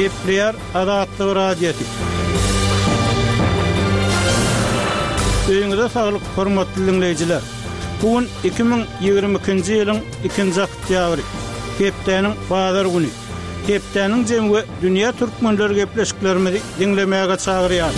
Gepleýär Azatlyk Radiosy. Öýüňize saglyk, hormatly diňleýjiler! Bu gün 2022-nji ýylyň ikinji oktýabry, hepdäniň bazar güni. Hepdäniň jemi we dünýä türkmenleri gepleşiklerimizi diňlemäge çagyrýar.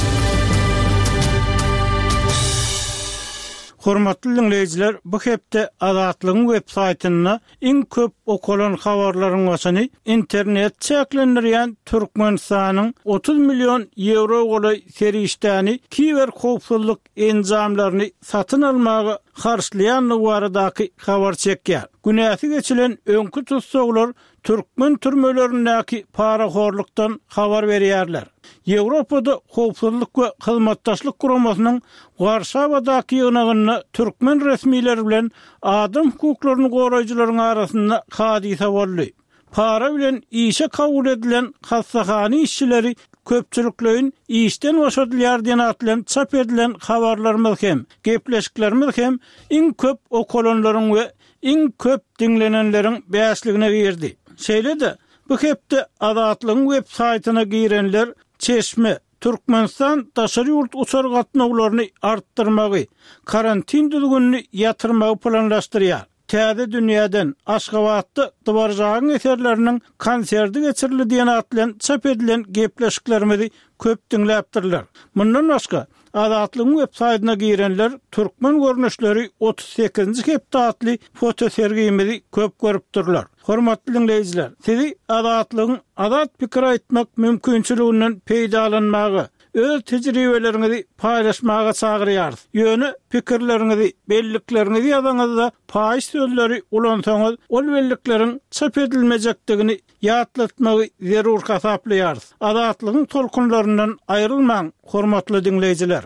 Hormatly diňleýjiler, bu hepde Azatlygyň web saýtynda iň köp okalan habarlaryň başyny internet çäklendirýän Türkmenistanyň 30 million ýewro golaý serişdäni kiberhowpsuzlyk enjamlaryny satyn almaga harçlaýandygy baradaky habar çekýär. Günäsi geçilen öňki tussaglar türkmen türmelerindäki parahorlukdan habar berýärler. Ýewropada Howpsuzlyk we Hyzmatdaşlyk Guramasynyň Warşawadaky ýygnagynda türkmen resmileri bilen adam hukuklaryny goraýjylaryň arasynda hadysa boldy. Para bilen işe kabul edilen hassahana işçileri köpçülikleýin işden boşadylýar diýen at bilen çap edilen habarlarymyz hem, gepleşiklerimiz hem iň köp okalanlaryň we iň köp diňlenenleriň bäşligine girdi. Şeýle-de, bu hepde Azatlygyň web saýtyna girenler Çeşme, Türkmenistan daşary ýurt uçar gatnawlaryny artdyrmagy, karantin düzgünini ýatyrmagy planlaşdyrýar. Täze dünýäden, Aşgabatda Dworjagyň eserleriniň konserti geçirildi diýen at bilen çap edilen gepleşiklerimizi köp diňläpdirler. Mundan başga, Azatlygyň web saýtyna girenler Türkmen görnüşleri 38-nji hepde atly fotosergimizi köp görüpdirler. Hormatly diňleýjiler, sizi Azatlygyň azat pikir aýtmak mümkinçiliginden peýdalanmaga, öz tejribeleriňizi paýlaşmaga çagyrýarys. Ýöne pikirleriňizi, bellikleriňizi ýazaňyzda paýyş sözleri ulansaňyz, ol bellikleriň çap edilmejekdigini ýatlatmagy zerur hasaplaýarys. Azatlygyň tolkunlaryndan aýrylmaň, hormatly diňleýjiler!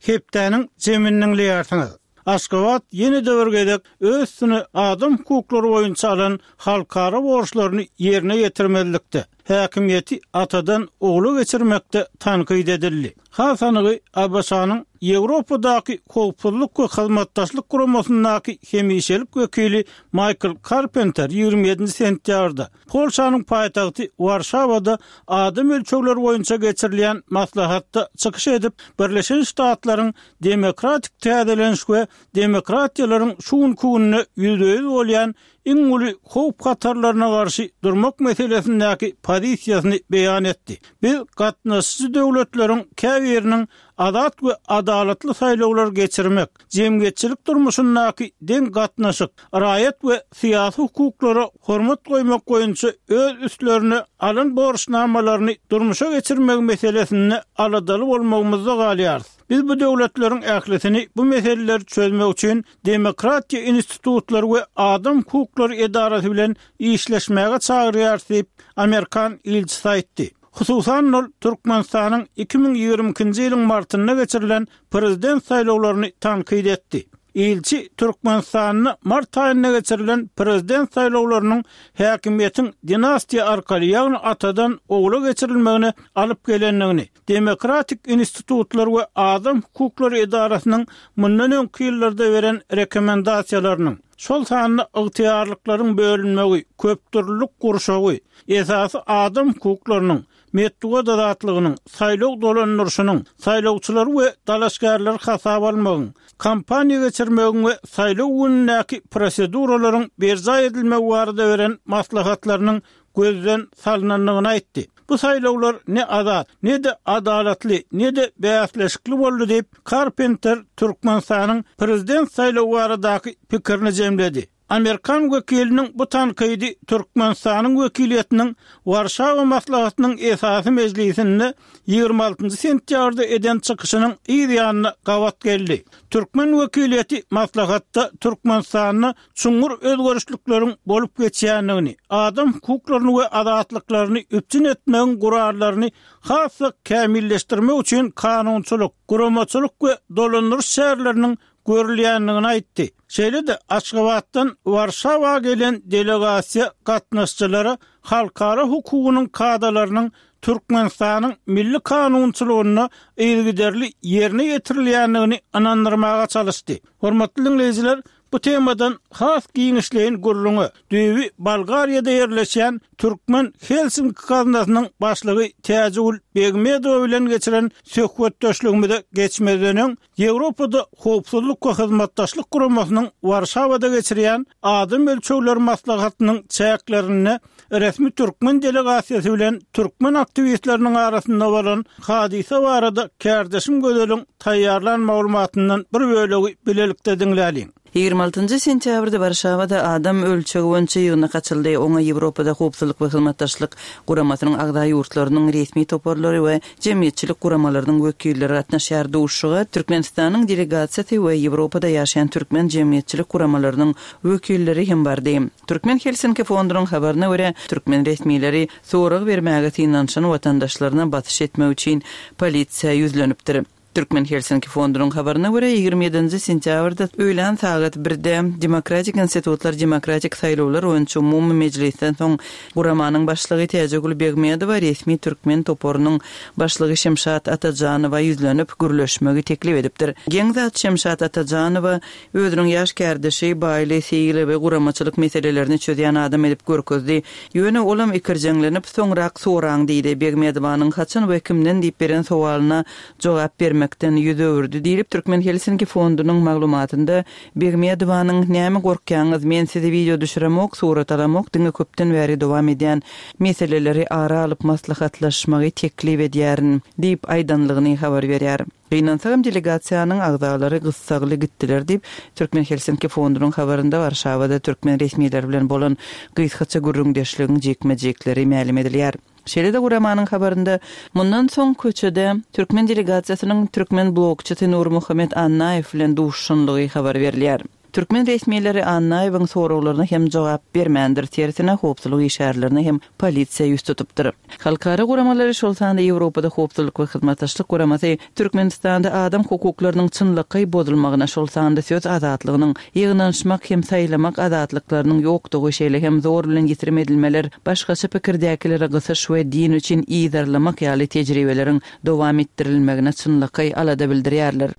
Hepdäniň jemini diňleýärsiňiz. Aşgabat ýene-de bir gezek öz üstüne adam hukuklary boýunça alan halkara borçlaryny ýerine ýetirmezlikde, häkimiýeti atadan ogla geçirmekde tankyt edildi. Has anygy, ABŞ-nyň Ýewropadaky Howpsuzlyk we Hyzmatdaşlyk Guramasyndaky hemişelik wekili Maýkl Karpenter 27-nji sentýabrda Polşanyň paýtagty Warşawada adam ölçegleri boýunça geçirilýän maslahatda çykyş edip, Birleşen Ştatlaryň demokratik täzeleniş we demokratiýalaryň şu günki günde ýüzbe-ýüz bolýan iň uly howp-hatarlaryna garşy durmak meselesindäki pozisiýasyny beýan etdi. Biz gatnaşyjy döwletleriň käbiriniň azat we adalatly saýlawlar geçirmek, jemgyýetçilik durmuşyndaky deň gatnaşyk, raýat we syýasy hukuklara hormat goýmak boýunça öz üstlerine alan borçnamalaryny durmuşa geçirmegi meselesinde aladaly bolmagymyzda galýarys. Biz bu döwletleriň ählisini bu meseleleri çözmek üçin demokratiýa institutlary we adam hukuklary edarasy bilen işleşmäge çagyrýarys diýip, amerikan ilçisi aýtdy. Hususan-da, ol Türkmenistanyň 2022-nji ýylyň martynda geçirilen prezident saýlawlaryny tankyt etdi. Ilçi Türkmenistanda mart aýynda geçirilen prezident saýlawlarynyň häkimiýetiň dinastiýa arkaly, ýagny atadan ogla geçirilmegine alyp gelendigini, Demokratik institutlar we adam hukuklary edarasynyň mundan öňki ýyllarda beren rekomendasiýalarynyň, şol sanda ygtyýarlyklaryň bölünmegi, köpdürlülik gurşawy, esasy adam hukuklarynyň, metbugat azatlygynyň, saýlaw dolandyryşynyň, saýlawçylary we dalaşgärleri hasaba almagyň, kampaniýa geçirmegiň we saýlaw günündäki proseduralaryň berjaý edilmegi barada beren maslahatlarynyň gözden salnandygyny aýtdy. Bu saýlawlar ne azat, ne-de adalatly, ne-de bäsleşikli boldy diýip, Karpenter Türkmenistanyň prezident saýlawy baradaky pikirini jemledi. Amerikan wekiliniň bu tankydy Türkmenistanyň wekiliýetiniň Warşawa maslahatynyň esasy mejlisinde 26 sentýabrda eden çykyşynyň yz ýanyna gabat geldi. Türkmen wekiliýeti maslahatda Türkmenistanda çuňňur özgerişlikleriň bolup geçýändigini, adam hukuklaryny we azatlyklaryny üpjün etmegiň gurallaryny has-da kämilleşdirmek üçin kanunçylyk, guramaçylyk we dolandyryş çäreleriniň görülýändigini aýtdy. Şeýle-de Aşgabatdan Warşawa gelen delegasiýa gatnaşyjylara halkara hukugynyň kadalarynyň Türkmenistanyň milli kanunçylygynda yzygiderli ýerine ýetirilýändigini ynandyrmaga çalyşdy. Hormatly diňleýjiler, Bu temadan has giňişleýin gürrüňe düýbi Bolgariýada ýerleşýän Türkmen Helsinki gaznasynyň başlygy Täjigül Begmedowa bilen geçiren söhbetdeşligimize geçmezden öň, Ýewropada Howpsuzlyk we Hyzmatdaşlyk Guramasynyň Warşawada geçirýän Adam ölçegleri maslahatynyň çäklerinde resmi türkmen delegasiýasy bilen türkmen aktiwistleriniň arasynda bolan hadysa barada kärdeşim Gözeliň taýýarlan maglumatyndan bir bölegi bilelikde diňläliň. 26 sentýabrda Warşawada adam ölçegi boýunça ýygnak açyldy. Oňa Ýewropada Howpsuzlyk we Hyzmatdaşlyk Guramasynyň agza ýurtlarynyň resmi toparlary we jemgyýetçilik guramalarynyň wekilleri gatnaşýar. Duşuşyga Türkmenistanyň delegasiýasy we Ýewropada ýaşaýan türkmen jemgyýetçilik guramalarynyň wekilleri hem bardy. Türkmen Helsinki fondunyň habaryna görä, türkmen resmileri sorag bermäge synanyşan watandaşlaryna basyş etmek üçin polisiýa ýüzlenipdir. Türkmen Helsinki fondunyň habaryna görä, 27-nji sentýabrda öýlän sagat birde Demokratik institutlar demokratik saýlawlar boýunça umumy mejlisden soň guramanyň başlygy Täjigül Begmedowa resmi türkmen toparynyň başlygy Şemşat Atajanowa ýüzlenip, gürleşmegi teklip edipdir. Geň zat, Şemşat Atajanowa Özüniň ýaş kärdeşi Baýly Seýilowy guramaçylyk meselelerini çözýän adam edip görkezdi. Ýöne olam ikirjeňlenip, soňrak soraň diýdi. Begmedowanyň haçan we kimden diýip beren sowalyna jogap bermekden ýüz öwürdi diýlip, Türkmen Helsinki fondunyň maglumatynda Begmedowanyň Näme gorkýaňyz, men sizi wideo düşüremok, surat alamok, diňe köpden bäri dowam edýän meseleleri ara alyp maslahatlaşmagy teklip edýärin diýip aýdanlygyny habar berýär. Gynansagam delegasiýanyň agzalary gyssagly gitdiler diýip, Türkmen Helsinki fondunyň habarynda Warşawada türkmen resmileri bilen bolan gysgaça gürrüňdeşligiň jikme-jikleri mälim edilýär. Şeýle-de guramanyň habarynda mundan soň köçede türkmen delegasiýasynyň türkmen blogçysy Nurmuhammet Annaýew bilen duşuşanlygy habar berilýär. Türkmen resmileri Annaýewiň soraglaryna hem jogap bermändir, tersine, howpsuzlyk işgärlerine hem polisiýa ýüz tutupdyr. Halkara guramalary, şol sanda Ýewropada Howpsuzlyk we Hyzmatdaşlyk Guramasy Türkmenistanda adam hukuklarynyň çynlakaý bozulmagyna, şol sanda söz azatlygynyň, ýygnanyşmak hem saýlamak azatlyklarynyň ýokdugy, şeýle hem zor bilen ýitirim edilmeler, başgaça pikirdäkilere gysyş we din üçin yzarlamak ýaly tejribeleriň dowam etdirilmegine çynlakaý alada bildirýärler.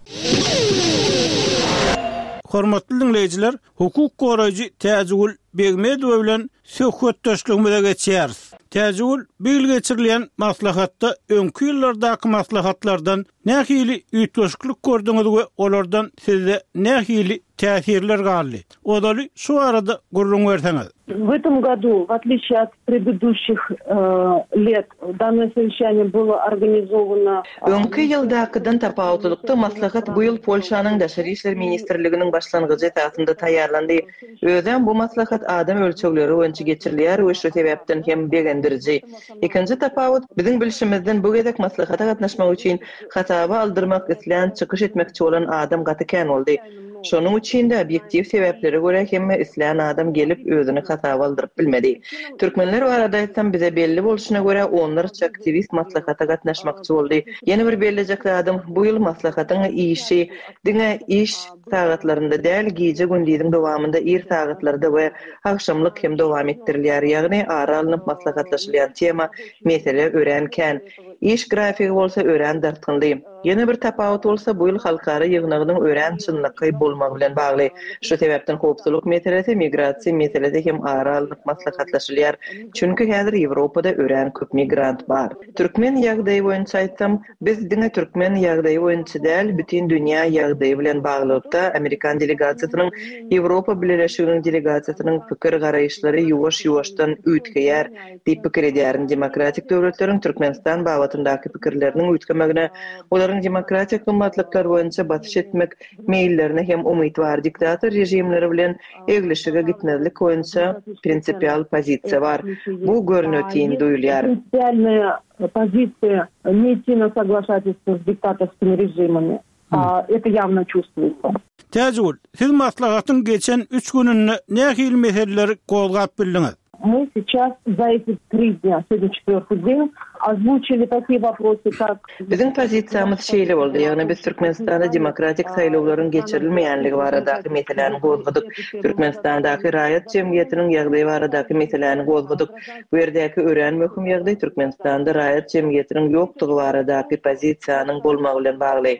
Hormatly diňleýjiler, hukuk goraýjy Täjigül Begmedowa bilen söhbetdeşligimize geçýäris. Täjigül, bu ýyl geçirilýän maslahatda öňki ýyllardaky maslahatlardan nähili üýtgeşiklik gördüňiz we olardan sizde nähili täsirler galdy? Ozaly şu barada gürrüň berseňiz. W этом году, в отличие от предыдущих лет, данное совещание было организовано. Öňki ýyldakydan tapawutlylykda maslahat bu ýyl Polşanyň Daşary işler ministrliginiň başlangyjy esasynda taýýarlandy. Özem bu maslahat adam ölçegleri boýunça geçirilýär we şu sebäpden hem begendiriji. Ikinji tapawut, biziň bilşimizden bu gezek maslahata gatnaşmak üçin hasaba aldyrmak islän, çykyş etmekçi bolan adam gaty kän boldy. Şonuň üçin-de, obýektiw sebäplere görä hemme islän adam gelip, özüni hasaba aldyryp bilmedi. Türkmenler barada aýtsam, bize belli bolşuna görä, onlarça aktiwist maslahata gatnaşmakçy boldy. Ýene bir bellejek zadym, bu ýyl maslahatyň işi diňe iş sagatlarynda däl, gije-gündiziň dowamynda ir sagatlarda we agşamlyk hem dowam etdirilýär. Ýagny, ara alnyp maslahatlaşylýan tema, mesele örän kän. Iş grafigi bolsa örän dartgynly. Ýene bir tapawut bolsa bu ýyl halkara ýygnagynyň örän çynlakaý bolmagy bilen bagly. Şu sebäpden howpsuzlyk meselesi, migrasiýa meselesi hem ara alnyp maslahatlaşylýar. Çünki häzir Ýewropada örän köp migrant bar. Türkmen ýagdaýy boýunça aýtsam, biz diňe türkmen ýagdaýy boýunça däl, bütin dünýä ýagdaýy bilen baglylykda amerikan delegasiýasynyň, Ýewropa Bileleşiginiň delegasiýasynyň pikir-garaýyşlary ýuwaş-ýuwaşdan üýtgeýär. Diýip pikir edýärin. Demokratik döwletleriň Türkmenistan babatyndaky pikirleriniň üýtgemegine, olaryň demokratik gymmatlyklar boýunça basyş etmek meýillerine hem umyt bar. Diktator režimleri bilen eglişige gitmezlik boýunça prinsipial pozisiýa bar. Bu görnetin duýulýar. Prinsipialnaýa pozisiýa ne idti na soglaşatelstwo s diktatorskimi režimami. Это ýawno çувствуется. Täjigül, siz maslahatyň geçen üç gününde nähili meseleleri gozgap bildiňiz? Мы сейчас за эти три dnýa, сегодня четвёртый день, озвучили такие вопросы, как. Biziň pozisiýamyz şeýle boldy, ýagny biz Türkmenistanda demokratik saýlawlaryň geçirilmeýänligi baradaky meseläni gozgadyk, Türkmenistandaky raýat jemgyýetiniň ýagdaýy baradaky meseläni gozgadyk. Bu ýerdäki örän möhüm ýagdaý Türkmenistanda raýat jemgyýetiniň ýokdugy baradaky pozisiýanyň bolmagy bilen bagly.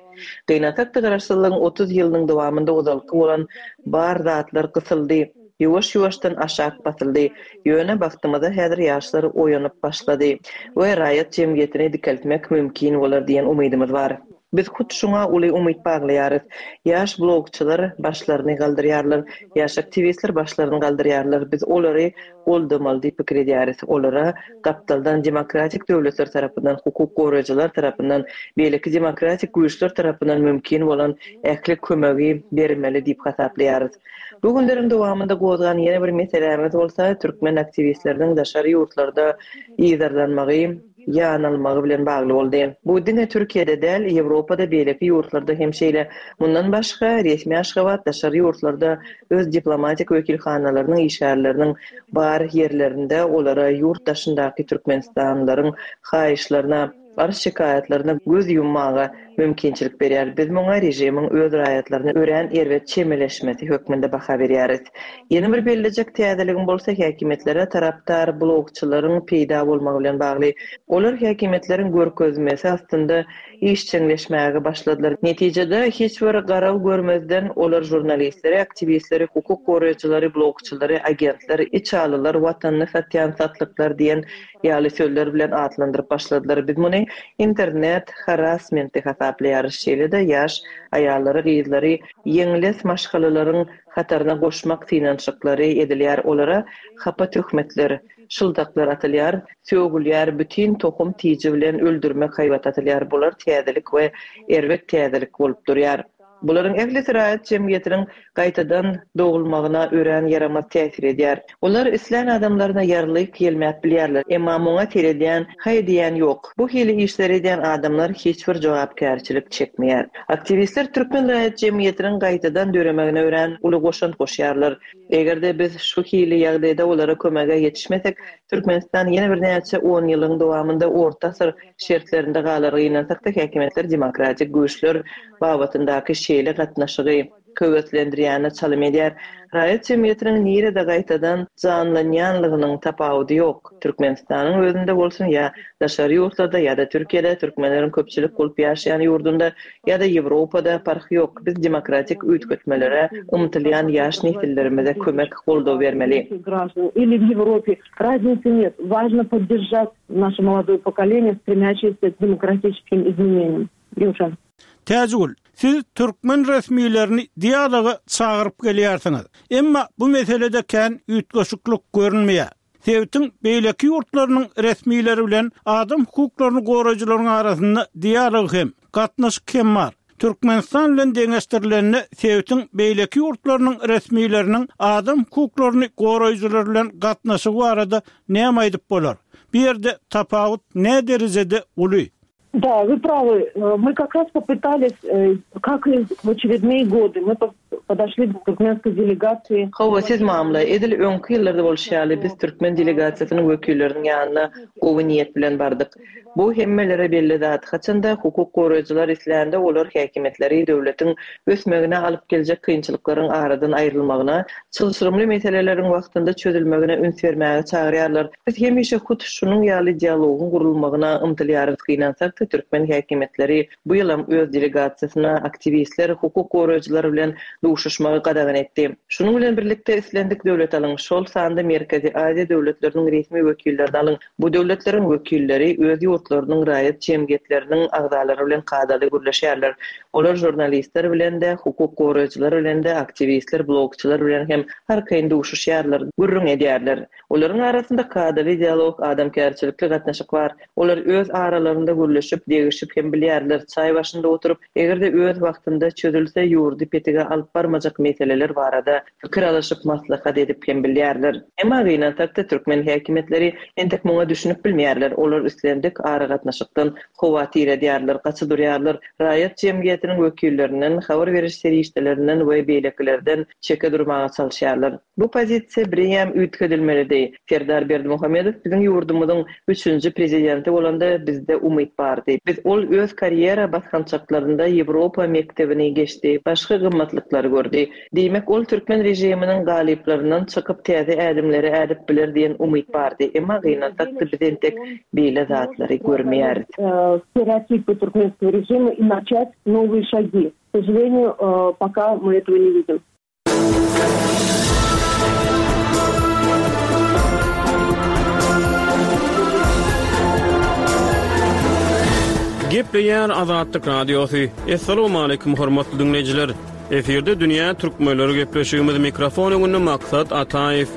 Gynansak-da garaşsyzlygyň 30 ýylynyň dowamynda ozalky bolan bar zatlar gysyldy. Ýuwaş-ýuwaşdan aşak basyldy. Ýöne bagtymyza häzir ýaşlar oýanyp başlady we raýat jemgyýetini dikeltmek mümkin bolar diýen umydymyz bar. Biz hut şuňa uly umyt baglaýarys. Ýaş blogçylar başlaryny galdyrýarlar, ýaş aktiwistler başlaryny galdyrýarlar. Biz olary goldamaly diýip pikir edýäris. Olara gapdaldan demokratik döwletler tarapyndan, hukuk goraýjylar tarapyndan, beýleki demokratik güýçler tarapyndan mümkin bolan ähli kömegi bermeli diýip hasaplaýarys. Bu günleriň dowamynda gozgan ýene bir meselämiz bolsa türkmen aktiwistleriniň daşary ýurtlarda yzarlanmagy, ýanalmagy bilen bagly boldy. Bu diňe Türkiýede däl, Ýewropada, beýleki ýurtlarda hem şeýle. Mundan başga, resmi Aşgabat daşary ýurtlarda öz diplomatik wekilhanalarynyň işgärleriniň bar ýerlerinde olara ýurt daşyndaky türkmenistanlylaryň haýyşlaryna, arz-şikaýatlaryna göz ýummaga mümkinçilik berýär. Biz muňa režimiň öz raýatlaryna örän erbet çemeleşmesi hökmünde baha berýäris. Ýene bir bellejek täzeligim bolsa häkimiýetlere tarapdar blogçylaryň peýda bolmagy bilen bagly. Olar häkimiýetleriň görkezmesi astynda işjeňleşmäge başladylar. Netijede, hiç bir garaw görmezden olar žurnalistleri, aktiwistleri, hukuk goraýjylary, blogçylary, agentler, içalylar, watanyny satýan satlyklar diýen Ýaly sözler bilen atlandyryp başladylar. Biz muny internet harassmenti hasaplaýarys. Şeýle-de ýaş aýallary, gyzlary ýeňles maşgalalaryň hataryna goşmak synanyşyklary edilýär. Olara hapa töhmetler, şyldaklar atylýar, sögülýär, bütin tohum-tiji bilen öldürmek haýbaty atylýar. Bular täzelik we erbet täzelik bolup durýar. Bularyň ählisi raýat jemgyýetiniň gaýtadan dogulmagyna örän ýaramaz täsir edýär. Olar islän adamlaryna ýarlyk ýelmäp bilýärler, emma muňa seredýän, haý diýýän ýok. Bu hili işleri edýän adamlar hiç bir jogapkärçilik çekmeýär. Aktiwistler türkmen raýat jemgyýetiniň gaýtadan döremegine örän uly goşant goşýarlar. Eger-de biz şu hili ýagdaýda olara kömege ýetişmesek, Türkmenistan ýene birnäçe onýyllygyň dowamynda orta asyr şertlerinde galar. Gynansak-da, häkimiýetler demokratik güýçler babatyndaky şeýle gatnaşygy höweslendirýäne çalym edýär. Raýat jemgyýetiniň nirede gaýtadan janlanýanlygynyň tapawudy ýok. Türkmenistanyň özünde bolsun ýa daşary ýurtlarda ýa-da Türkiýede, türkmenleriň köpçülik bolup ýaşaýan ýurdunda ýa-da Ýewropada parhy ýok. Biz demokratik üýtgetmelere ymtylýan ýaş nesillerimize kömek, goldaw bermeli. Naşe molodoe pokoleniýe, stremýaşeýse k demokratiçeskim izmeneniýam. Ýowşan. Täjigül, siz türkmen resmilerini dialoga çagyryp gelýärsiňiz. Emma bu meselede kän üýtgeşiklik görünmeýär. Sebitiň beýleki ýurtlarynyň resmileri bilen adam hukuklaryny goraýjylaryň arasynda dialog hem, gatnaşyk hem bar. Türkmenistan bilen deňeşdirilende sebitiň beýleki ýurtlarynyň resmileriniň adam hukuklaryny goraýjylar bilen gatnaşygy barada näme aýdyp bolar? Bu ýerde tapawut näderejede uly? Da, вы правы. Мы как раз попытались, как и в очередные годы, мы podošli k turkmenskoý delegasiýi. Hawa, siz mamla. Edil öňki ýyllarda bolşy ýaly, biz türkmen delegasiýasynyň wekilleriniň ýanyna gowy niýet bilen bardyk. Bu hemmelere belli zat, haçanda hukuk goraýjylar islände, olar häkimiýetleri döwletiň ösmegine alyp geljek kynçylyklaryň aradan aýrylmagyna, çylşyrymly meseleleriň wagtynda çözülmegine üns bermäge çagyrýarlar. Biz hemişe hut şunuň ýaly dialogyň gurulmagyna ymtylýarys. Gynansak-da, türkmen häkimiýetleri Bu ýylam öz delegasiýasyna aktiwistler, hukuk goraýjylar bilen duşuşmagy gadagan etdi. Şunuň bilen birlikde, islendik döwlet alyň, şol sanda Merkezi Aziýa döwletleriniň resmi wekillerini alyň, bu döwletleriň wekilleri öz ýurtlarynyň raýat jemgyýetleriniň agzalary bilen kadaly gürleşýärler. Olar žurnalistler bilen-de, hukuk goraýjylar bilen-de, aktiwistler, blogçylar bilen hem arkaýyn duşuşýarlar, gürrüň edýärler. Olaryň arasynda kadaly dialog, adamkärçilikli gatnaşyk bar. Olar öz aralarynda gürleşip, degişip hem bilýärler. Çaý başynda oturyp, eger-de öz wagtynda çözülse, ýurdy petige alyp barmaly. barmajak meseleler barada pikir alyşyp maslahat edip hem bilýärler. Emma gynansak-da türkmen häkimiýetleri entek muňa düşünip bilmeýärler, olar islendik aragatnaşykdan howatyr edýärler, gaça durýarlar, raýat jemgyýetiniň wekillerinden, habar beriş serişdelerinden we beýlekilerden çeke durmaga çalyşýarlar. Bu pozisiýa bireýýäm üýtgedilmelidi. Serdar Berdimuhamedow biziň ýurdumyzyň üçünji prezidenti bolanda bizde umyt bardy. Biz ol öz karýera basgançaklarynda Ýewropa mekdebini geçdi, başga gymmatlyklary gördi. Diýmek, ol türkmen režiminiň galyplaryndan çykyp täze ädimleri ädip biler diýen umyt bardy. Emma gynansak-da biz entek beýle zatlary görmeýäris. Stereotipy turkmenskogo režima i načat nowyye şagi. K sožaleniýu, poka my etogo ne widim. Gepleýär Azatlyk Radiosy. Assalamualaikum hormatly diňleýjiler. Efirde dünýä türkmenleri gepleşigimiz mikrofon öňünde Maksat Ataýew.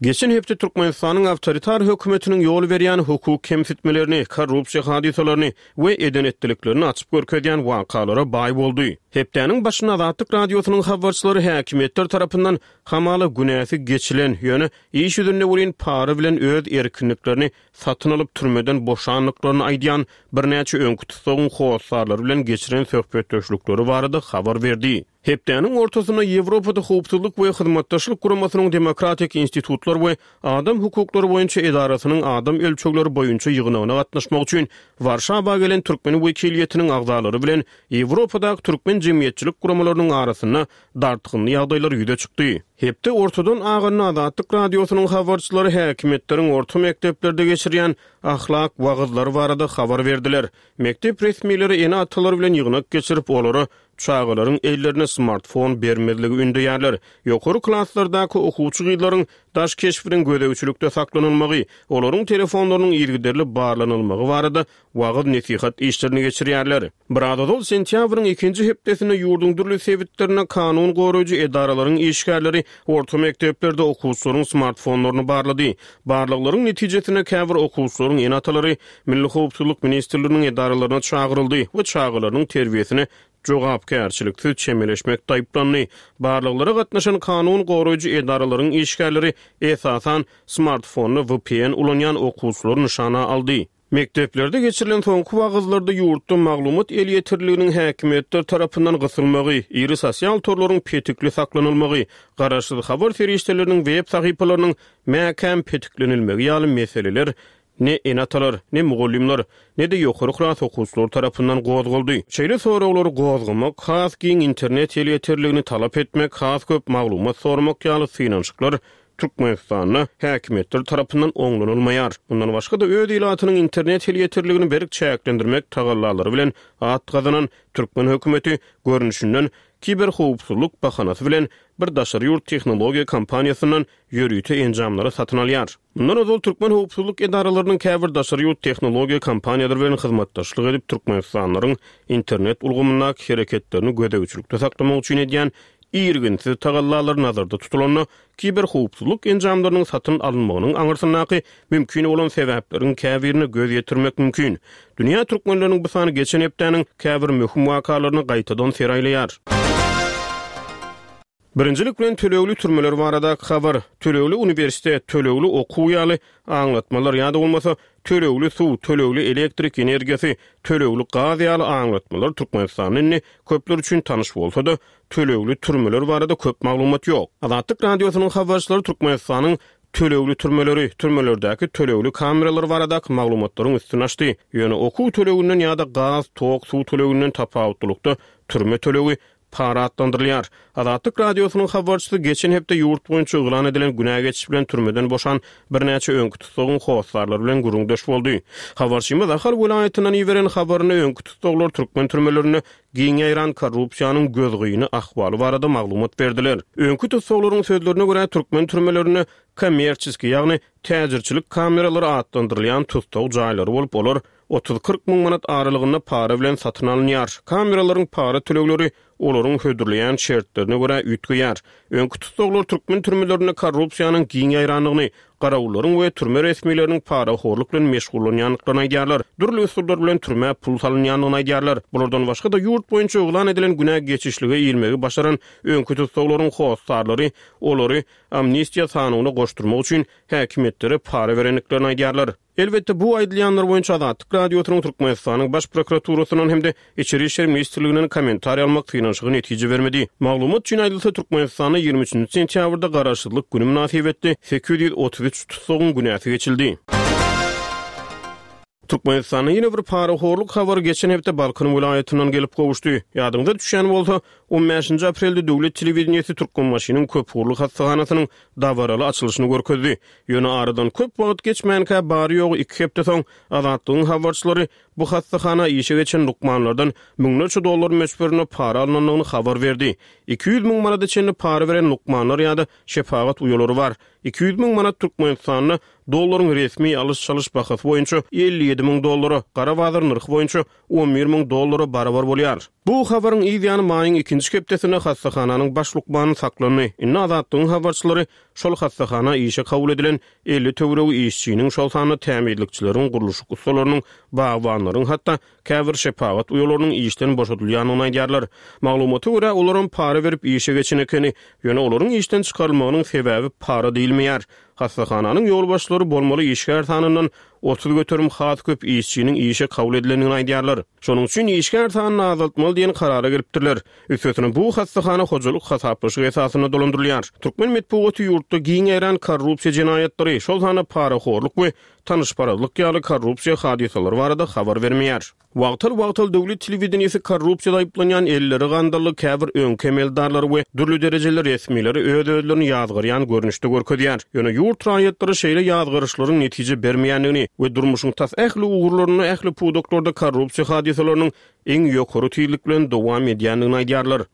Geçen hepde Türkmenistanyň awtoritar hökümetiniň ýol berýän hukuk kemsitmelerini, korrupsiýa hadysalaryny we eden-etdiliklerini açyp görkezýän wakalara baý boldy. Hepdäniň başynda Azatlyk Radiosynyň habarçylary häkimiýetler tarapyndan hamala günäsi geçilen, ýöne iş ýüzünde welin para bilen öz erkinliklerini satyn alyp türmeden boşandyklaryny aýdýan birnäçe öňki tussagyň hossarlary bilen geçiren söhbetdeşlikleri barada habar berdi. Hepdäniň ortasynda Ýewropada Howpsuzlyk we Hyzmatdaşlyk Guramasynyň Demokratik institutlar we adam hukuklary boýunça edarasynyň adam ölçegleri boýunça ýygnagyna gatnaşmak üçin Warşawa gelen türkmen wekiliýetiniň agzalary bilen Ýewropadaky türkmen jemgyýetçilik guramalarynyň arasynda dartgynly ýagdaýlar ýüze çykdy. Hepde ortadan aganda Azatlyk Radiosynyň habarçylary häkimiýetleriň orta mekdeplerde geçirýän ahlak wagyzlary barada habar berdiler. Mekdep resmileri ene-atalar bilen ýygnak geçirip, olara çagalaryň ellerine smartfon bermezligi ündeýärler. Ýokary klaslardaky okuwçy gyzlaryň daş keşbiniň gözegçilikde saklanylmagy, olaryň telefonlarynyň yzygiderli barlanylmagy barada wagyz-nesihat işlerini geçirýärler. Biraz ozal sentýabryň ikinji hepdesinde ýurduň dürli sebitlerinde kanun goraýjy edaralaryň işgärleri orta mekdeplerde okuwçylaryň smartfonlaryny barlady. Barlaglaryň netijesinde käbir okuwçylaryň ene-atalary Milli howpsuzlyk ministrliginiň edaralaryna çagyryldy we çagalarynyň terbiýesine jogapkärçiliksiz çemeleşmekde aýyplandy. Barlaglara gatnaşan kanun goraýjy edaralaryň işgärleri esasan smartfonda vpn ulanýan okuwçylary nyşana aldy. Mekdeplerde geçirilen soňky wagyzlarda ýurtda maglumat elýeterliliginiň häkimiýetler tarapyndan gysylmagy, iri sosial torlaryň petikli saklanylmagy, garaşsyz habar serişdeleriniň web sahypalarynyň mäkäm petiklenilmegi ýaly meseleler ne ene-atalar, ne mugallymlar, ne-de ýokary klas okuwçylary tarapyndan gozgaldy. Şeýle soraglary gozgamak, has giň internet elýeterligini talap etmek, has köp maglumat soramak ýaly synanyşyklar Türkmenistanda häkimiýetler tarapyndan oňlanylmaýar. Mundan başga-da, öz ilatynyň internet elýeterligini berk çäklendirmek tagallalary bilen at gazanan türkmen hökümeti, görnüşinden, kiberhowpsuzlyk bahanasy bilen bir daşary ýurt tehnologiýa kompaniýasyndan ýörite enjamlary satyn alýar. Mundan ozal türkmen howpsuzlyk edaralarynyň käbir daşary ýurt tehnologiýa kompaniýalary bilen hyzmatdaşlyk edip, türkmenistanlylaryň internet ulgamyndaky hereketlerini gözegçilikde saklamak üçin edýän irginsiz tagallalary nazarda tutulanda, kiberhowpsuzlyk enjamlarynyň satyn alynmagynyň aňyrsyndaky mümkin bolan sebäpleriň käbirine göz ýetirmek mümkin. Dünýä türkmenleriniň bu sany geçen hepdäniň käbir möhüm wakalaryna gaýtadan ser aýlaýar. Birinjilik bilen tölegli türmeler baradaky habar, tölegli uniwersitet, tölegli okuw ýaly aňlatmalar ýa-da bolmasa tölegli suw, tölegli elektrik energiýasy, tölegli gaz ýaly aňlatmalar Türkmenistanda indi köpler üçin tanyş bolsa-da, tölegli türmeler barada köp maglumat ýok. Azatlyk Radiosynyň habarçylary Türkmenistanyň tölegli türmeleri, türmelerdäki tölegli kameralar baradaky maglumatlaryň üstüni açdy. Ýöne okuw töleginden ýa-da gaz, tok, suw töleginden tapawutlylykda türme tölegi Para atlandyrylýar. Azatlyk Radiosynyň habarçysy geçen hepde ýurt boýunça yglan edilen günä geçiş bilen türmeden boşan birnäçe öňki tussagyň hossarlary bilen gürrüňdeş boldy. Habarçymyz Ahal welaýatyndan iberen habarynda öňki tussaglar türkmen türmelerinde giň ýaýran korrupsiýanyň gözgyny ahwaly barada maglumat berdiler. Öňki tussaglaryň sözlerine görä, türkmen türmelerinde kommerçeskiý, ýagny täjirçilik kameralary atlandyrylýan tussag jaýlary bolup, olar 30-40 müň manat aralygynda para bilen satyn alynýar. Kameralaryň para tölegleri olaryň hödürleýän şertlerine görä üýtgeýär. Öňki tussaglar türkmen türmelerinde korrupsiýanyň giň ýaýrandygyny, Garawullaryň we türme resmileriniň parahorluk bilen meşgullanýandyklaryny aýdýarlar. Dürli usullar bilen türmä pul salynýandygyny aýdýarlar. Bulardan başga-da, ýurt boýunça yglan edilen günä geçişlige ilmegi başaran öňki tussaglaryň hossarlary olary amnistiýa sanawyna goşdurmak üçin häkimiýetlere para berendiklerini aýdýarlar. Elbetde, bu aýdylýanlar boýunça Azatlyk Radiosynyň Türkmenistanyň Baş prokuraturasyndan hem-de Içeri işler ministrliginden kommentariý almak synanyşygy netije bermedi. Maglumat üçin aýdylsa, Türkmenistanda 23-nji sentýabrda Garaşsyzlyk güni mynasybetli 833 tussagyň günäsi geçildi. Türkmenistanda ýene bir parahorluk habary geçen hepde Balkan welaýatyndan gelip gowuşdy. Ýadyňyza düşýän bolsa, on bäşinji aprelde döwlet telewideniýesi Türkmenbaşynyň köpugurly hassahanasynyň dabaraly açylyşyny görkezdi. Ýöne aradan köp wagt geçmänkä, bary-ýogy iki hepde soň, Azatlygyň habarçylary bu hassahana işe geçen lukmanlardan müňlerçe dollar möçberinde para alnandygyny habar berdi. 200 müň manada çenli para beren lukmanlar ýa-da şepagat uýalary bar. 200 müň manat Türkmenistanda dollaryň resmi alyş-çalyş bahasy boýunça 57 müň dollara, gara bazar nyrhy boýunça 11 müň dollara barabar bolýar. Bu habaryň yz ýany maýyň ikinji hepdesinde hassahananyň baş lukmany saklandy. Indi Azatlygyň habarçylary şol hassahana işe kabul edilen 50 töweregi işçiniň, şol sanda tämizlikçileriň, gurluşyk ussalarynyň, bagbanlaryň, hatda käbir şepagat uýalarynyň işden boşadylýandygyny aýdýarlar. Maglumata görä, olaram para berip işe geçen ekeni. Ýöne olaryň işden çykarylmagynyň sebäbi para diýilmeýär. Hassahananyň ýolbaşçylary bolmaly işgär sanyndan 30% has köp işçiniň işe kabul edilendigini aýdýarlar. Şonuň üçin işgär sanyny azaltmaly diýen karara gelipdirler. Üstesine bu hassahana hojalyk hasaplaşyk esasynda dolandyrylýar. Türkmen metbugaty ýurtda giň ýaýran korrupsiýa jenaýatlary, şol sanda parahorluk we tanyşparazlyk ýaly korrupsiýa hadysalary barada habar bermeýär. Wagtal-wagtal döwlet telewideniýesi korrupsiýada aýyplanýan elleri gandally käbir öňki emeldarlary we dürli derejeli resmileri öz-özlerini ýazgarýan görnüşde görkezýär. Ýöne ýurt raýatlary şeýle ýazgaryşlaryň netije bermeýändigini we durmuşyň tas ähli ugurlarynda, ähli pudaklarda korrupsiýa hadysalarynyň iň ýokary tizlik bilen dowam edýändigini aýdýarlar.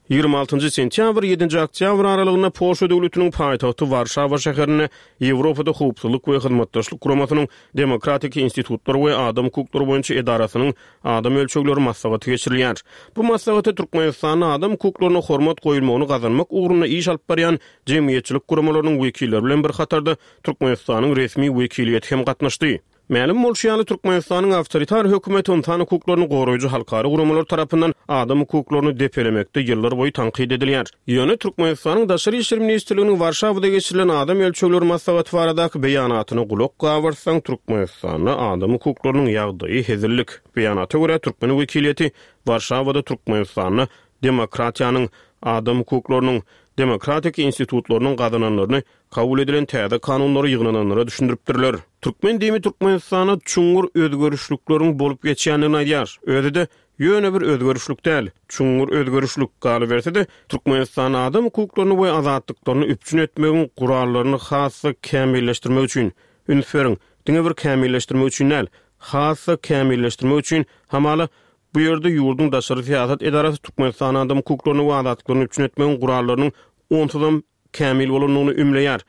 26-njy sentýabr, ýedinji oktýabr aralygynda Polşa döwletiniň paýtagty Warşawa şäherinde Ýewropada Howpsuzlyk we Hyzmatdaşlyk Guramasynyň Demokratik institutlar we adam hukuklary boýunça edarasynyň adam ölçegleri maslahaty geçirilýär. Bu maslahata Türkmenistanda adam hukuklaryna hormat goýulmagyny gazanmak ugrunda iş alyp barýan jemgyýetçilik guramalarynyň wekilleri bilen bir hatarda Türkmenistanyň resmi wekiliýeti hem gatnaşdy. Mälim bolşy ýaly, Türkmenistanyň awtoritar hökümeti ynsan hukuklaryny goraýjy halkara guramalar tarapyndan adam hukuklaryny depelemekde ýyllar boýy tankyt edilýär. Ýöne Türkmenistanyň Daşary işler ministrliginiň Warşawada geçirilen adam ölçegleri maslahaty baradaky beýanatyna gulak gabartsaň, Türkmenistanda adam hukuklarynyň ýagdaýy hezillik. Beýanata görä, türkmen wekiliýeti Warşawada Türkmenistanda demokratiýanyň, adam hukuklarynyň, demokratik institutlarynyň gazananlaryny Kabul edilen täze kanunlary ýygnananlara düşündiripdirler. Türkmen demi Türkmenistanda çuňňur özgerişlikleriň bolup geçýändigini aýdýar. Özi-de, ýöne bir özgerişlik däl, çuňňur özgerişlik. Galyberse-de, Türkmenistanda adam hukuklaryny we azatlyklaryny üpjün etmegiň gurallaryny has-da kämilleşdirmek üçin, üns beriň, diňe bir kämilleşdirmek üçin däl, has-da kämilleşdirmek üçin, hamala, bu ýerde ýurduň daşary syýasat edarasy Türkmenistanda adam hukuklaryny we azatlyklaryny üpjün etmegiň gurallarynyň onsuzam kämil bolandygyny ümleýär.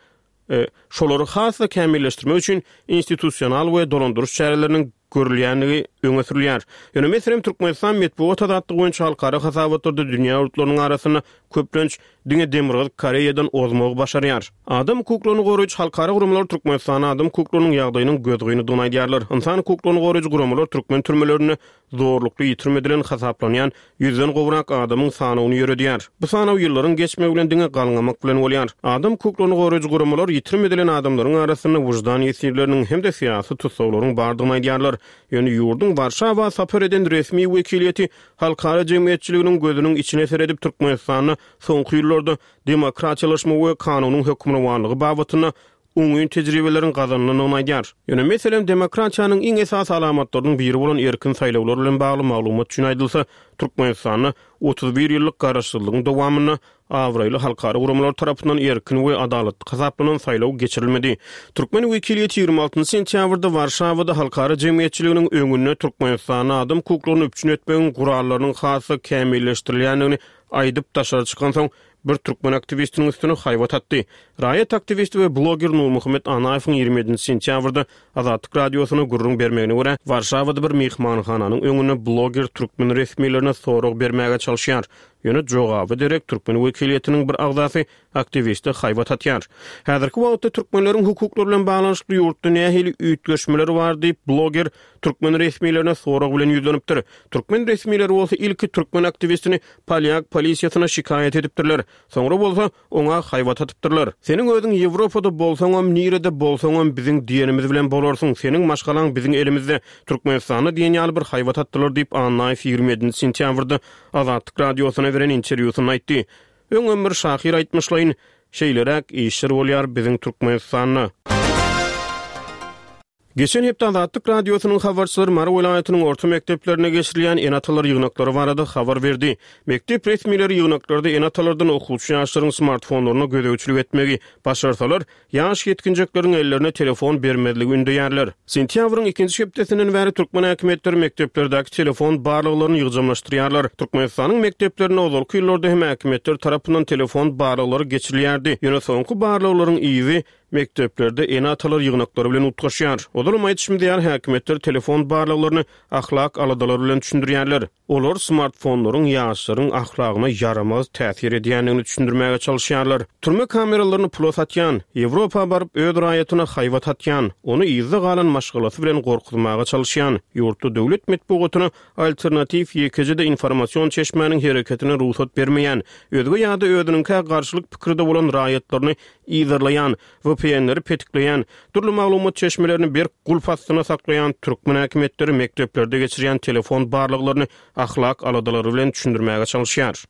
Şolary has-da kämilleşdirmek üçin institusional we dolandyryş çäreleriniň görülýändigi öňe sürülýär. Ýöne, meselem, Türkmenistan metbugat azatlygy boýunça halkara hasabatlarda dünýä ýurtlarynyň arasynda köplenç diňe Demirgazyk Koreýadan ozmagy başarýar. Adam hukuklaryny goraýjy halkara guramalar Türkmenistanda adam hukuklarynyň ýagdaýynyň gözgynydygyny aýdýarlar. Ynsan hukuklaryny goraýjy guramalar türkmen türmelerinde zorlukly ýitirim edilen hasaplanýan ýüzden gowrak adamyň sanawyny ýöredýär. Bu sanaw ýyllaryň geçmegi bilen diňe galňamak bilen bolýar. Adam hukuklaryny goraýjy guramalar ýitirim edilen adamlaryň arasynda wyždan ýesirleriniň hem-de syýasy tussaglaryň bardygyny aýdýarlar. Ýöne ýurduň Warşawa sapar eden resmi wekiliýeti halkara jemgyýetçiliginiň gözüniň içine seredip Türkmenistanda soňky ýyllarda demokratiýalaşma we kanunyň hökmürowanlygy babatynda oňyn tejribeleriň gazanylandygyny aýdýar. Ýöne, meselem, demokratiýanyň iň esasy alamatlarynyň biri bolan erkin saýlawlar bilen bagly maglumat üçin aýdylsa, Türkmenistanda 31 ýyllyk garaşsyzlygyň dowamynda abraýly halkara guramalar tarapyndan erkin we adalatly hasaplanan saýlaw geçirilmedi. Türkmen wekiliýeti 26 sentýabrda Warşawada halkara jemgyýetçiliginiň öňünde Türkmenistanda adam hukuklaryny üpjün etmegiň gurallarynyň has-da kämilleşdirilýändigini aýdyp daşary çykansoň, bir türkmen aktiwistiniň üstüne haýbat atdy. Raýat aktiwisti we bloger Nurmuhammet Anaýewiň 27 sentýabrda Azatlyk Radiosyna gürrüň bermegine görä, Warşawada bir myhmanhananyň öňünde bloger türkmen resmilerine sorag bermäge çalyşýar. Ýöne jogaba derek türkmen wekiliýetiniň bir agzasy aktiwiste haýbat atýar. Häzirki wagtda türkmenleriň hukuklary bilen baglanyşykly ýurtda nähili üýtgeşmeler bar diýip, bloger türkmen resmilerine sorag bilen ýüzlenipdir. Türkmen resmileri bolsa ilki türkmen aktiwistini polýak polisiýasyna şikaýat edipdirler. Soňra bolsa, oňa haýbat atypdyrlar. Seniň özüň Ýewropada bolsaňam, nirede bolsaňam biziň diýenimiz bilen bolarsyň, seniň maşgalaň biziň elimizde, Türkmenistanda diýen ýaly bir haýbat atdylar diýip, Annaýew 27 sentýabrda Azatlyk Radiosyna beren interwýusynda aýtdy. Öňem bir şahyr aýtmyşlaýyn, şeýleräk işler bolýar biziň Türkmenistanda. Geçen hepde Azatlyk Radiosynyň habarçylary Mary welaýatynyň orta mekdeplerinde geçirilýän ene-atalar ýygnaklary barada habar berdi. Mekdep resmileri ýygnaklarda ene-atalardan okuwçy ýaşlaryň smartfonlaryna gözegçilik etmegi, başarsalar, ýaş ýetginjekleriň ellerine telefon bermezligi ündeýärler. Sentýabryň ikinji hepdesinden bäri türkmen häkimiýetleri mekdeplerdäki telefon barlaglaryny ýygjamlaşdyrýarlar. Türkmenistanyň mekdeplerinde ozalky ýyllarda hem häkimiýetler tarapyndan telefon barlaglary geçirilýärdi. Ýöne soňky barlaglaryň yzy Mekdeplerde ene-atalar ýygnaklary bilen utgaşýar. Ozalam aýdyşymyz ýaly, häkimiýetler telefon barlaglaryny ahlak aladalary bilen düşündirýärler. Olar smartfonlaryň ýaşlaryň ahlagyna ýaramaz täsir edýändigini düşündirmäge çalyşýarlar. Türme kameralaryny pula satýan, Ýewropa baryp öz raýatyna haýbat atýan, ony yzda galan maşgalasy bilen gorkuzmaga çalyşýan, ýurtda döwlet metbugatyna alternatiw ýekeje-de informasion çeşmäniň hereketine rugsat bermeýän, özge ýa-da özüniňkä garşylyk pikirde bolan raýatlaryny yzarlaýan, VPN-leri petikleýän, dürli maglumat çeşmelerini berk gulp astynda saklaýan türkmen häkimiýetleri mekdeplerde geçirýän telefon barlaglaryny ahlak aladalary bilen düşündirmäge çalyşýar.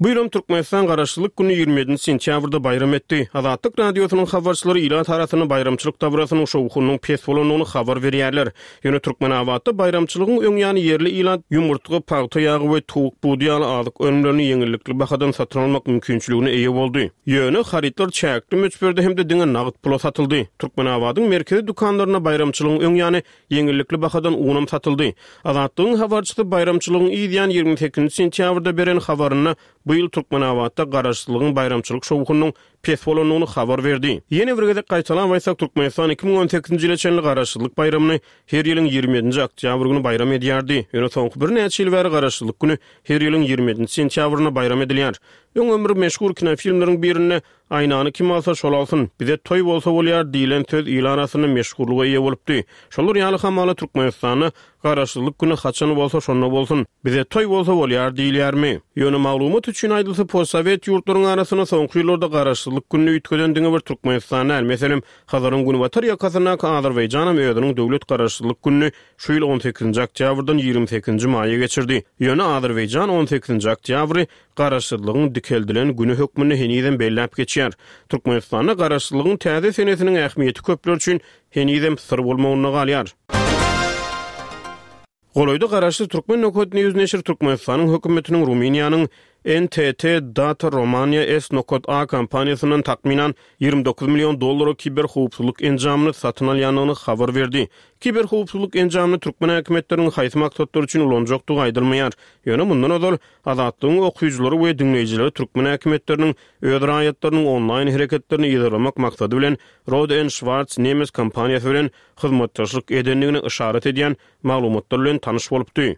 Bu ýylam Türkmenistan Garaşsyzlyk gününi 27 sentýabrda baýram etdi. Azatlyk Radiosynyň habarçylary ilat arasynda baýramçylyk dabarasynyň şowhunynyň pes bolandygyny habar berýärler. Ýöne Türkmenabatda baýramçylygyň öň ýany ýerli ilat ýumurtga, pagta ýagy we towuk budy ýaly azyk önümlerini ýeňillikli bahadan satyn almak mümkinçiligine eýe boldy. Ýöne harytlar çäkli möçberde hem-de diňe nagt pula satyldy. Türkmenabadyň merkezi dükanlarynda baýramçylygyň öň ýany ýeňillikli bahadan unam satyldy. Azatlygyň habarçysy baýramçylygyň yz ýany 28 sentýabrda beren habarynda bu ýyl Türkmenabatda Garaşsyzlygyň baýramçylyk şowhunynyň pes bolandygyny habar berdi. Ýene bir gezek gaýtalap aýtsak, Türkmenistan 2018-nji ýyla çenli Garaşsyzlyk baýramyny her ýylyň 27-nji oktýabr güni baýram edýärdi. Ýöne soňky birnäçe ýyl bäri Garaşsyzlyk güni her ýylyň 27-nji sentýabrynda baýram edilýär. Öňem bir meşhur kinofilmleriň birinde Aýnany kim alsa, şol alsyn, bize toý bolsa bolýar diýlen söz il arasynda meşhurlyga eýe bolupdy. Şolar ýaly hamala Türkmenistanda Garaşsyzlyk güni haçan bolsa şonda bolsun, bize toý bolsa bolýar diýilýärmi? Ýöne maglumat üçin aýdylsa postsowet ýurtlaryň arasynda soňky ýyllarda Garaşsyzlyk gününi üýtgeden diňe bir Türkmenistan däl. Meselem, Hazaryň günbatar ýakasyndaky Azerbaýjanam özüniň döwlet Garaşsyzlyk gününi şu ýyl on sekizinji oktýabrdan 20 sekizinji maýa geçirdi. Ýöne Azerbaýjan on sekizinji oktýabry Garaşsyzlygyň dikeldilen güni hökmünde henizem belläp geçýär. Türkmenistanda Garaşsyzlygyň täze senesiniň ähmiýeti köpler üçin henizem syr bolmagynda galýar. Golaýda garaşsyz Türkmen nokat News neşiri Türkmenistanyň hökümetiniň Rumyniýanyň NTT Data Romania S nokat A kompaniýasyndan takmynan 29 million dollara kiberhowpsuzlyk enjamyny satyn alýandygyny habar berdi. Kiberhowpsuzlyk enjamyny türkmen häkimiýetleriniň haýsy maksatlar üçin ulanjakdygy aýdylmaýar. Ýöne mundan ozal, Azatlygyň okyjylary we diňleýjileri türkmen häkimiýetleriniň öz raýatlarynyň onlaýn hereketlerini yzarlamak maksady bilen Rohde and Schwarz nemes kompaniýasy bilen hyzmatdaşlyk edendigini yşarat edýän maglumatlar bilen tanyş bolupdy.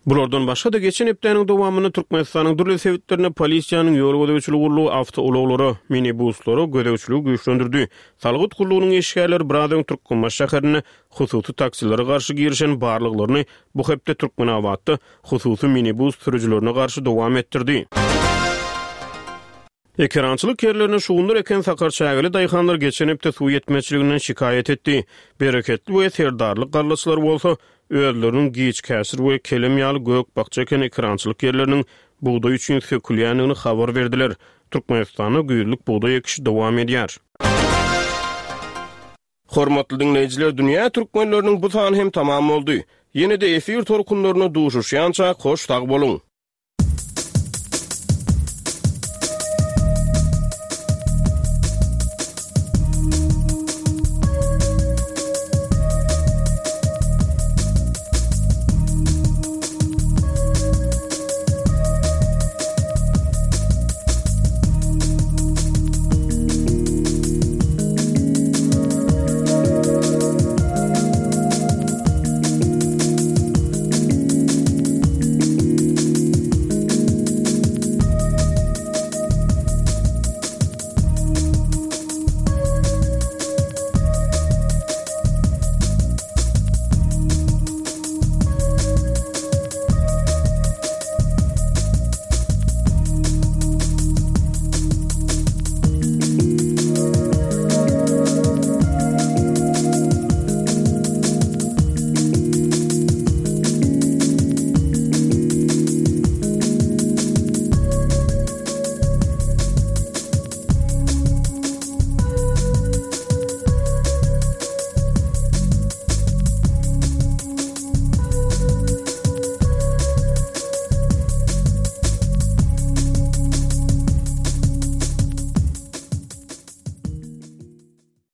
Bulardan başga-da, geçen hepdäniň dowamynda Türkmenistanyň dürli sebitlerinde polisiýanyň ýol gözegçiligi gullugy awtoulaglara, minibuslara gözegçiligi güýçlendirdi. Salgyt gullugynyň işgärleri biraz öň Türkmenbaşy şäherinde hususy taksilere garşy girişen barlaglaryny bu hepde Türkmenabatda hususy minibus sürüjilerine garşy dowam etdirdi. Ekerançylyk ýerlerine şugundyr eken sakarçägeli daýhanlar geçen hepde suw ýetmezçiliginden şikaýat etdi. Bereketli we Serdarly gallaçylar bolsa, özleriniň giç käşir we kelem ýaly gök-bakja eken ekerançylyk ýerleriniň bugdaý üçin sökülýändigini habar berdiler. Türkmenistanda güýzlük bugdaý ekişi dowam edýär. Hormatly diňleýjiler Dünýä Türkmenleriniň bu sany hem tamam boldy. Ýene-de efir tolkunlarynda duşuşýançak hoş sag boluň!